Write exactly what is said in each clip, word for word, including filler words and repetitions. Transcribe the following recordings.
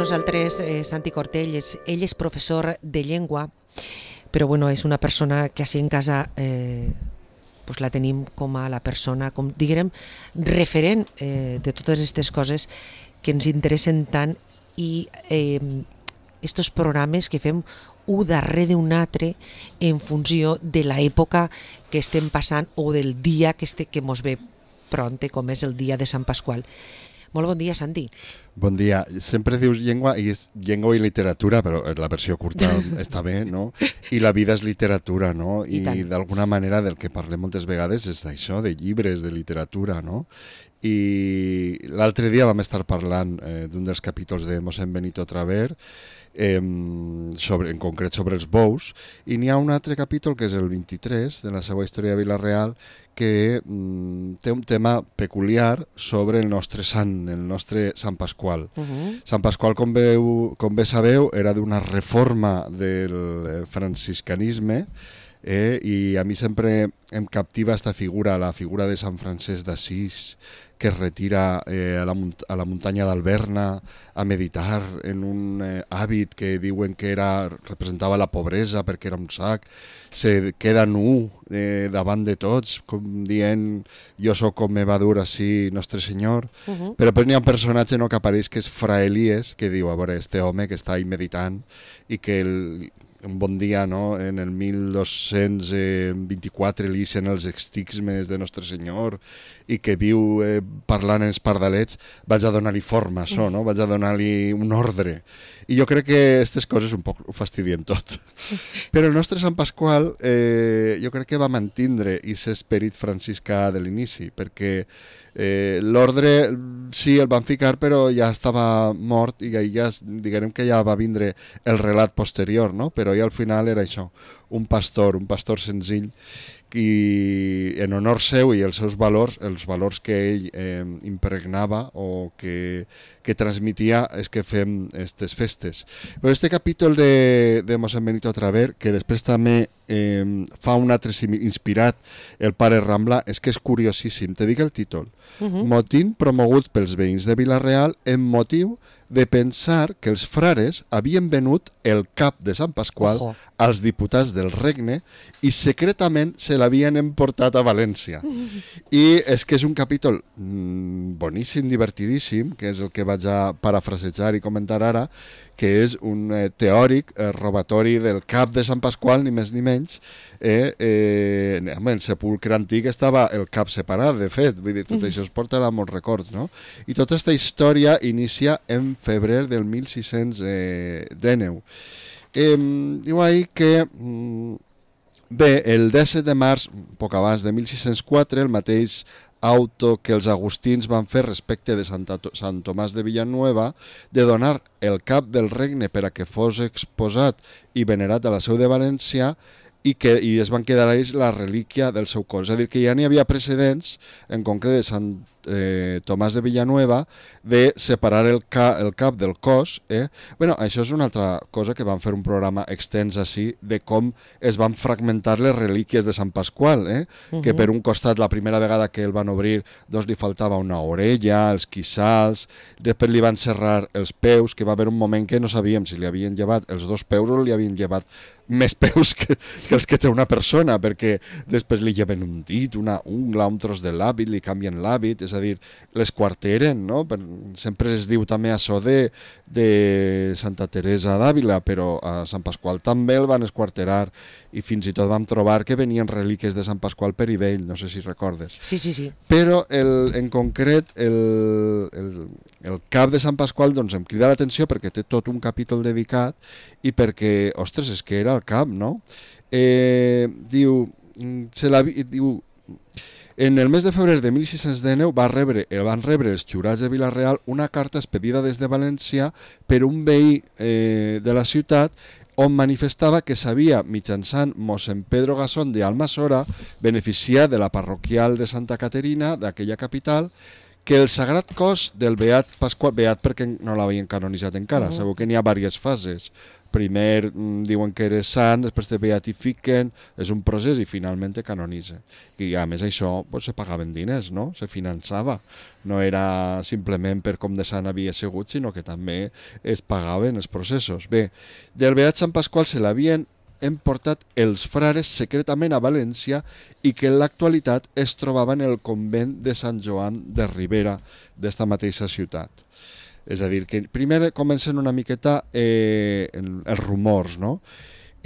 nosaltres eh, Santi Cortell, és, ell és professor de llengua, però bueno, és una persona que així en casa eh, pues la tenim com a la persona, com diguem, referent eh, de totes aquestes coses que ens interessen tant i eh, estos programes que fem un darrere d'un altre en funció de l'època que estem passant o del dia que, este, que mos ve pronte, com és el dia de Sant Pasqual. Molt bon dia, Santi. Bon dia. Sempre dius llengua i és llengua i literatura, però la versió curta està bé, no? I la vida és literatura, no? I, I d'alguna manera del que parlem moltes vegades és d'això, de llibres, de literatura, no? I l'altre dia vam estar parlant eh, d'un dels capítols de Mossèn Benito Traver, eh, sobre, en concret sobre els bous, i n'hi ha un altre capítol que és el vint-i-tres de la seva història de Vila-real, que mm, té un tema peculiar sobre el nostre sant, el nostre Sant Pasqual. Uh-huh. Sant Pasqual, com, veu, com bé sabeu, era d'una reforma del franciscanisme, eh, i a mi sempre em captiva esta figura, la figura de Sant Francesc d'Assís, que es retira eh, a, la munt- a la muntanya d'Alberna a meditar en un eh, hàbit que diuen que era, representava la pobresa perquè era un sac, se queda nu eh, davant de tots, com dient jo sóc com me va dur així Nostre Senyor, uh-huh. Però després n'hi ha un personatge no, que apareix que és Fra Elies, que diu, a veure, este home que està ahí meditant i que el, un bon dia, no? En el mil dos-cents vint-i-quatre li ixen els extigmes de Nostre Senyor i que viu eh, parlant en els pardalets, vaig a donar-li forma, això, no? Vaig a donar-li un ordre. I jo crec que aquestes coses un poc ho fastidien tot. Però el nostre Sant Pasqual eh, jo crec que va mantindre aquest esperit franciscà de l'inici, perquè eh, l'ordre sí el van ficar però ja estava mort i ja diguem que ja va vindre el relat posterior, no? Però ja al final era això, un pastor, un pastor senzill, i en honor seu i els seus valors, els valors que ell eh, impregnava o que, que transmitia és que fem aquestes festes. Però este capítol de, de Mossèn Benito Traver, que després també eh, fa un altre inspirat, el pare Rambla, és que és curiosíssim. Te dic el títol. Uh-huh. Motín promogut pels veïns de Vila-real en motiu de pensar que els frares havien venut el cap de Sant Pasqual Ojo. als diputats del regne i secretament se l'havien emportat a València. I és que és un capítol mm, boníssim, divertidíssim, que és el que vaig a parafrasejar i comentar ara, que és un eh, teòric eh, robatori del cap de Sant Pasqual, ni més ni menys. Eh, eh, en el sepulcre antic estava el cap separat, de fet, vull dir, tot això es portarà molts records, no? I tota aquesta història inicia en febrer del mil sis-cents dinou. Eh, diu ahí que mm, bé, el disset de març, poc abans de mil sis-cents quatre, el mateix auto que els agustins van fer respecte de Santa, Sant Tomàs de Villanueva de donar el cap del regne per a que fos exposat i venerat a la seu de València i que i es van quedar ells la relíquia del seu cos. És a dir, que ja n'hi havia precedents, en concret de Sant eh, Tomàs de Villanueva, de separar el, ca, el cap del cos. Eh? Bueno, això és una altra cosa que van fer un programa extens així de com es van fragmentar les relíquies de Sant Pasqual, eh? Uh-huh. Que per un costat, la primera vegada que el van obrir, doncs li faltava una orella, els quissals, després li van serrar els peus, que va haver un moment que no sabíem si li havien llevat els dos peus o li havien llevat més peus que, que els que té una persona, perquè després li lleven un dit, una ungla, un tros de l'hàbit, li canvien l'hàbit, és a dir, les quarteren, no? Per, sempre es diu també això de, de Santa Teresa d'Àvila, però a Sant Pasqual també el van esquarterar i fins i tot vam trobar que venien relíquies de Sant Pasqual per Ivell, no sé si recordes. Sí, sí, sí. Però el, en concret el, el, el cap de Sant Pasqual doncs em crida l'atenció perquè té tot un capítol dedicat i perquè, ostres, és que era el cap, no? Eh, diu, se la, diu, en el mes de febrer de mil sis-cents dinou va rebre, van rebre els jurats de Vila-real una carta expedida des de València per un veí eh, de la ciutat on manifestava que s'havia, mitjançant mossèn Pedro Gasón de Almassora, beneficiat de la parroquial de Santa Caterina, d'aquella capital, que el sagrat cos del Beat Pasqual, Beat perquè no l'havien canonitzat encara, uh -huh. segur que n'hi ha diverses fases. Primer mm, diuen que era sant, després te beatifiquen, és un procés i finalment te canonitzen. I a més això pues, se pagaven diners, no? Se finançava. No era simplement per com de sant havia sigut, sinó que també es pagaven els processos. Bé, del Beat Sant Pasqual se l'havien hem portat els frares secretament a València i que en l'actualitat es trobava en el convent de Sant Joan de Ribera d'esta mateixa ciutat. És a dir, que primer comencen una miqueta eh, els rumors, no?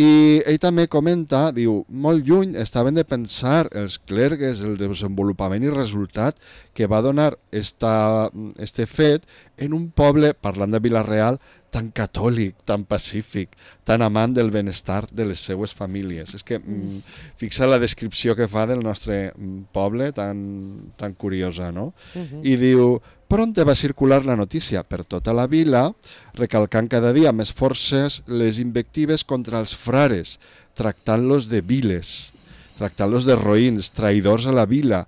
I ell també comenta, diu, molt lluny estaven de pensar els clergues, el desenvolupament i resultat que va donar esta, este fet en un poble, parlant de Vila-real, tan catòlic, tan pacífic, tan amant del benestar de les seues famílies. És que mm, fixa la descripció que fa del nostre poble, tan, tan curiosa, no? Uh-huh. I diu, pronte va circular la notícia per tota la vila, recalcant cada dia més forces les invectives contra els frares, tractant-los de viles, tractant-los de roïns, traïdors a la vila,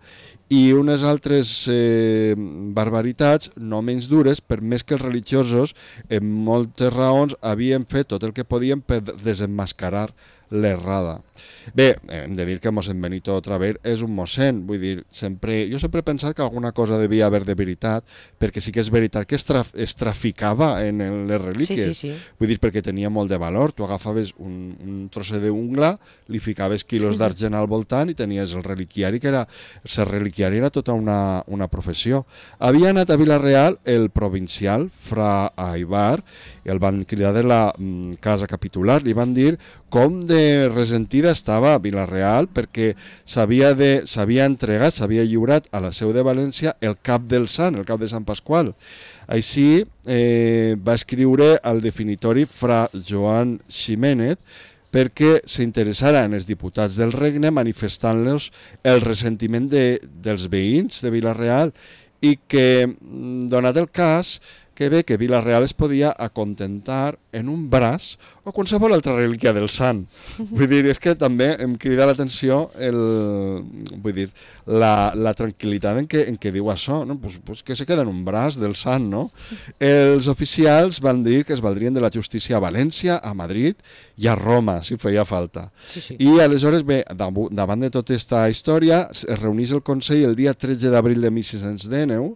i unes altres eh, barbaritats no menys dures, per més que els religiosos en moltes raons havien fet tot el que podien per desenmascarar l'errada. Bé, hem de dir que mossèn Benito Traver és un mossèn, vull dir, sempre, jo sempre he pensat que alguna cosa devia haver de veritat, perquè sí que és veritat que es, traf, es traficava en les relíquies, sí, sí, sí. Vull dir, perquè tenia molt de valor, tu agafaves un, un trosset d'ungla, li ficaves quilos d'argent al voltant i tenies el reliquiari, que era, el reliquiari era tota una, una professió. Havia anat a Vila-real el provincial, fra Aibar, i el van cridar de la mm, casa capitular, li van dir com de resentida estava Vila-real perquè s'havia entregat, s'havia lliurat a la seu de València el cap del sant, el cap de Sant Pasqual. Així eh, va escriure al definitori fra Joan Ximénez perquè s'interessara en els diputats del regne manifestant-los el ressentiment de, dels veïns de Vila-real i que, donat el cas, que bé que Vila-real es podia acontentar en un braç o qualsevol altra relíquia del sant. Vull dir, és que també em crida l'atenció el, vull dir, la, la tranquil·litat en què, en què diu això, no? Pues, pues que se queda en un braç del sant, no? Els oficials van dir que es valdrien de la justícia a València, a Madrid i a Roma, si feia falta. Sí, sí. I aleshores, bé, davant de tota aquesta història, es reunís el Consell el dia tretze d'abril de mil sis-cents dinou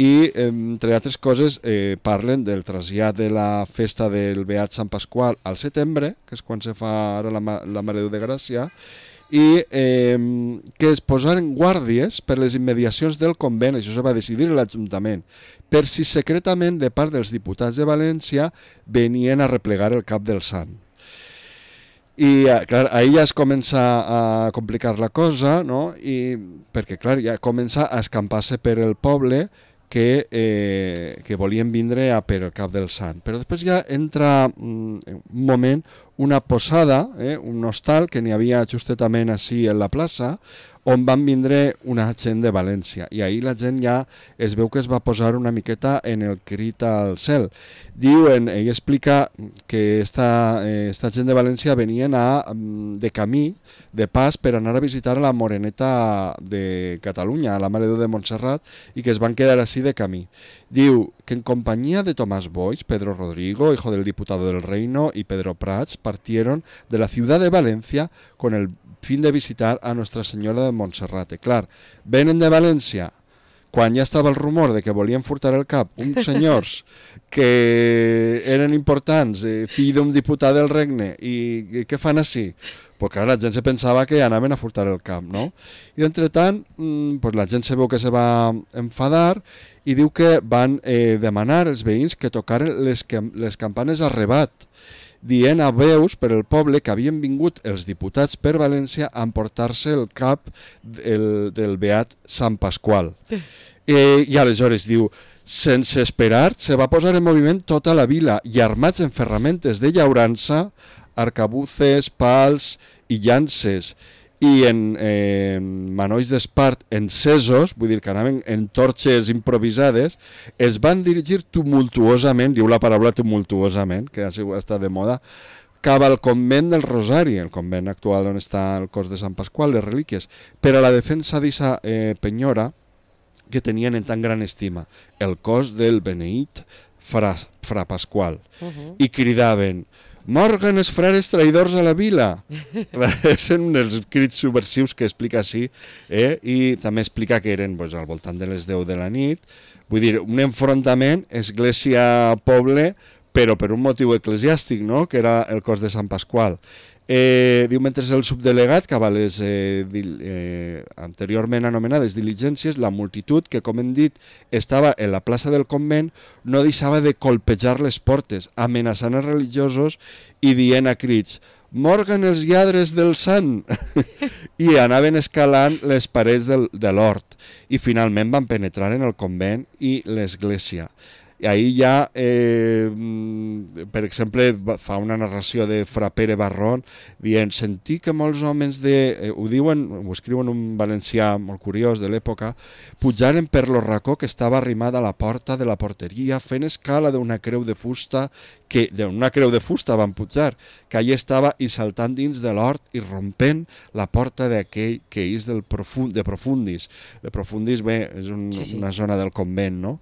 i, entre altres coses, eh, parlen del trasllat de la festa del Beat Sant Pasqual al setembre, que és quan se fa ara la, la Mare de Gràcia, i eh, que es posaren guàrdies per les immediacions del convent, això se va decidir l'Ajuntament, per si secretament de part dels diputats de València venien a replegar el cap del sant. I clar, ahir ja es comença a complicar la cosa, no? I, perquè clar, ja comença a escampar-se per el poble que, eh, que volien vindre a per el cap del sant. Però després ja entra mm, un moment una posada, eh, un hostal que n'hi havia justetament així en la plaça, on van vindre una gent de València. I ahir la gent ja es veu que es va posar una miqueta en el crit al cel. Diuen, ell explica que esta, eh, esta gent de València venien a, de camí, de pas, per anar a visitar a la Moreneta de Catalunya, a la Mare de Déu de Montserrat, i que es van quedar així de camí. Diu que en compañía de Tomás Boix, Pedro Rodrigo, hijo del diputado del Reino, y Pedro Prats, partieron de la ciudad de Valencia con el fin de visitar a Nuestra Senyora de Montserrat. Clar, venen de València, quan ja estava el rumor de que volien furtar el cap uns senyors que eren importants, eh, fill d'un diputat del regne, i, i què fan així? Pues clar, la gent se pensava que anaven a furtar el cap, no? I entretant, pues la gent se veu que se va enfadar i diu que van eh, demanar als veïns que tocaren les, les campanes a rebat, dient a veus per el poble que havien vingut els diputats per València a emportar-se el cap del, del Beat Sant Pasqual. Eh, I aleshores diu, sense esperar, se va posar en moviment tota la vila i armats en ferramentes de llaurança, arcabuces, pals i llances i en eh, manolls d'espart encesos, vull dir que anaven en torxes improvisades, es van dirigir tumultuosament, diu la paraula tumultuosament, que ha estat de moda, cap al convent del Rosari, el convent actual on està el cos de Sant Pasqual, les relíquies, per a la defensa d'aquesta eh, penyora, que tenien en tan gran estima, el cos del beneït fra, fra Pasqual, uh-huh. i cridaven: «Morgan els frares traïdors a la vila!» Són un dels crits subversius que explica així, eh? I també explica que eren pues, al voltant de les deu de la nit. Vull dir, un enfrontament església-poble, però per un motiu eclesiàstic, no? Que era el cos de Sant Pasqual. Eh, diu, mentre el subdelegat, que a les eh, eh, anteriorment anomenades diligències, la multitud, que com hem dit estava en la plaça del convent, no deixava de colpejar les portes, amenaçant els religiosos i dient a crits: «Morgan els lladres del sant!» I anaven escalant les parets del, de l'hort i finalment van penetrar en el convent i l'església. I ahir ja, eh, per exemple, fa una narració de Fra Pere Barron dient: «Sentí que molts homes de...» Eh, ho diuen, ho escriuen un valencià molt curiós de l'època, «pujaren per lo racó que estava arrimada a la porta de la porteria, fent escala d'una creu de fusta, que d'una creu de fusta van pujar, que allà estava, i saltant dins de l'hort i rompent la porta d'aquell que és del profund, de Profundis». De Profundis, bé, és un, sí, sí. una zona del convent, no?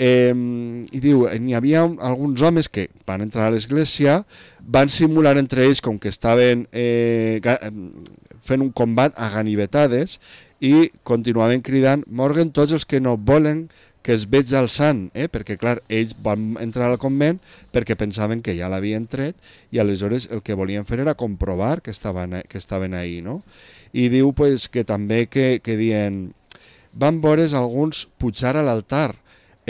Eh, i diu, n'hi havia un, alguns homes que van entrar a l'església, van simular entre ells com que estaven eh, fent un combat a ganivetades i continuaven cridant: «Morgan tots els que no volen que es veig al sant», eh? Perquè clar, ells van entrar al convent perquè pensaven que ja l'havien tret i aleshores el que volien fer era comprovar que estaven, que estaven ahí, no? I diu pues, que també que, que dient: «Van veure alguns pujar a l'altar,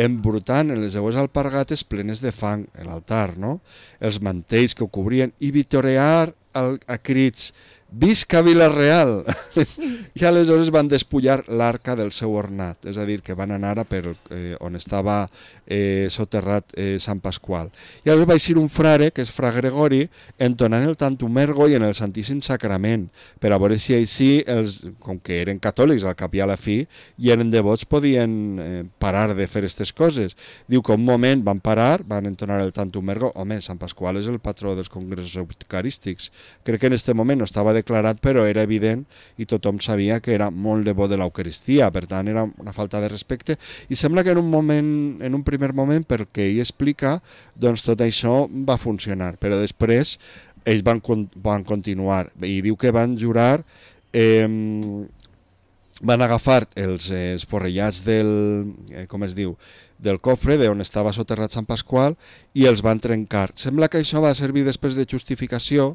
embrutant en les seues alpargates plenes de fang, l'altar, no? Els mantells que ho cobrien, i vitorear a, a crits: «Visca Vila-real!» I aleshores van despullar l'arca del seu ornat, és a dir, que van anar a per eh, on estava eh, soterrat eh, Sant Pasqual. I aleshores va eixir un frare, que és Fra Gregori, entonant el Tantum Ergo i en el Santíssim Sacrament, per a veure si així, els, com que eren catòlics al cap i a la fi, i eren devots, podien eh, parar de fer aquestes coses. Diu que un moment van parar, van entonar el Tantum Ergo. Home, Sant Pasqual és el patró dels congressos eucarístics. Crec que en aquest moment no estava declarat, però era evident i tothom sabia que era molt devot de l'Eucaristia, per tant era una falta de respecte, i sembla que en un moment, en un primer moment, pel que ell explica, doncs tot això va funcionar, però després ells van, van continuar, i diu que van jurar, eh, van agafar els esporrellats del, eh, com es diu, del cofre d'on estava soterrat Sant Pasqual i els van trencar. Sembla que això va servir després de justificació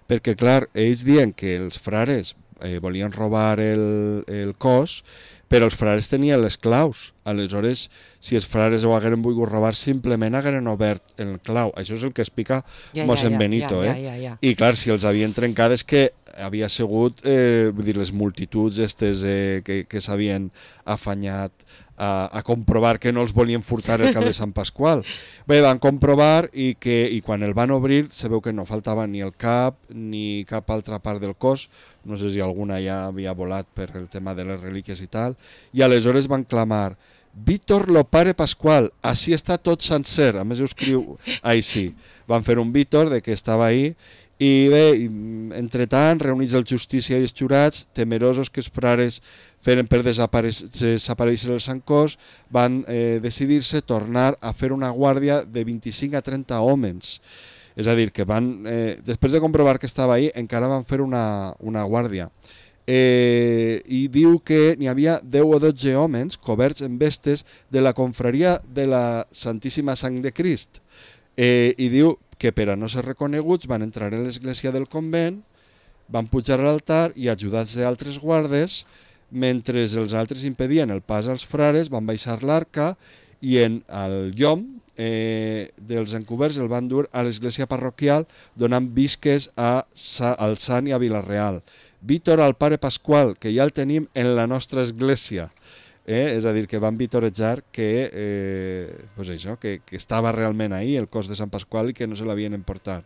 perquè, clar, ells diuen que els frares eh, volien robar el, el cos, però els frares tenien les claus. Aleshores, si els frares ho hagueren volgut robar, simplement hagueren obert el clau. Això és el que explica ja, mossèn ja, ja, Benito. Ja, ja, ja, ja. Eh? I, clar, si els havien trencat és que havia sigut eh, vull dir, les multituds estes, eh, que, que s'havien afanyat A, a comprovar que no els volien furtar el cap de Sant Pasqual. Bé, van comprovar i, que, i quan el van obrir se veu que no faltava ni el cap ni cap altra part del cos, no sé si alguna ja havia volat per el tema de les relíquies i tal, i aleshores van clamar: «Víctor lo pare Pasqual, així està tot sencer», a més ho escriu així. Van fer un Víctor de que estava ahí. I bé, entre tant, reunits el justícia i els jurats, temerosos que els frares feren per desaparèixer el Sant Cos, van eh, decidir-se tornar a fer una guàrdia de vint-i-cinc a trenta homes. És a dir, que van, eh, després de comprovar que estava ahí, encara van fer una, una guàrdia. Eh, I diu que n'hi havia deu o dotze homes coberts en vestes de la confraria de la Santíssima Sang de Crist. Eh, I diu que per a no ser reconeguts van entrar a l'església del convent, van pujar a l'altar i, ajudats d'altres guardes, mentre els altres impedien el pas als frares, van baixar l'arca i en el llom eh, dels encoberts el van dur a l'església parroquial donant visques a, al Sant i a Vila-real. Víctor al pare Pasqual, que ja el tenim en la nostra església. Eh? És a dir, que van vitorejar que, eh, pues això, que, que estava realment ahí el cos de Sant Pasqual i que no se l'havien emportat.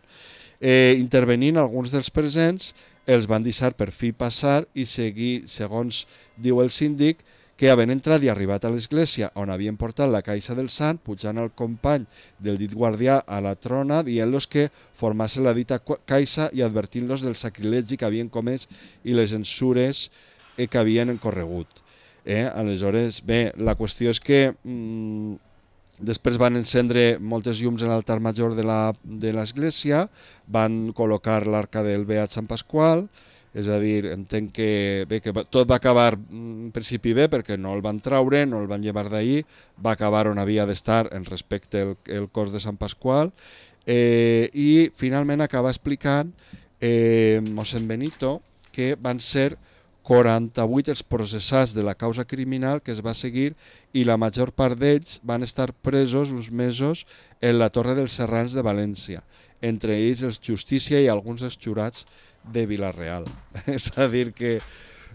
Eh, intervenint alguns dels presents, els van deixar per fi passar i seguir, segons diu el síndic, que havent entrat i arribat a l'església on havien portat la caixa del sant, pujant al company del dit guardià a la trona, dient-los que formassen la dita caixa i advertint-los del sacrilegi que havien comès i les censures que havien encorregut. Eh? Aleshores, bé, la qüestió és que mm, després van encendre moltes llums en l'altar major de la, de l'església, van col·locar l'arca del Beat Sant Pasqual, és a dir, entenc que, bé, que tot va acabar en principi bé perquè no el van traure, no el van llevar d'ahir, va acabar on havia d'estar en respecte al el cos de Sant Pasqual, eh, i finalment acaba explicant eh, mossèn Benito que van ser quaranta-vuit els processats de la causa criminal que es va seguir i la major part d'ells van estar presos uns mesos en la Torre dels Serrans de València, entre ells els Justícia i alguns dels jurats de Vila-real. És a dir que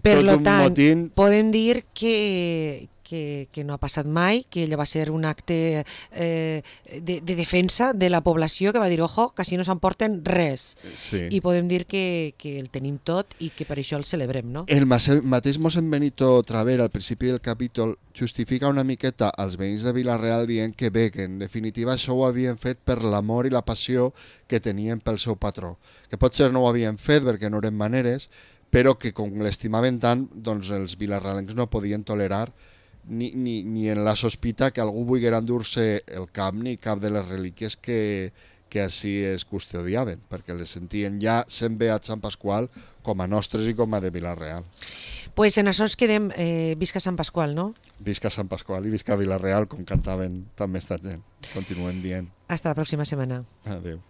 per tot un tant, motín... podem dir que, que, que no ha passat mai, que allò va ser un acte eh, de, de defensa de la població que va dir, ojo, que si no s'emporten res. Sí. I podem dir que, que el tenim tot i que per això el celebrem, no? El mateix mossèn Benito Traver, al principi del capítol, justifica una miqueta als veïns de Vila-real dient que bé, que en definitiva això ho havien fet per l'amor i la passió que tenien pel seu patró. Que potser no ho havien fet perquè no eren maneres, però que com l'estimaven tant, doncs els vilarrealencs no podien tolerar ni, ni, ni en la sospita que algú volguera endur-se el cap ni cap de les relíquies que, que així es custodiaven, perquè les sentien ja sent Beat Sant Pasqual com a nostres i com a de Vila-real. Pues en això ens quedem, eh, visca Sant Pasqual, no? Visca Sant Pasqual i visca Vila-real, com cantaven també esta gent. Continuem dient. Hasta la pròxima setmana. Adéu.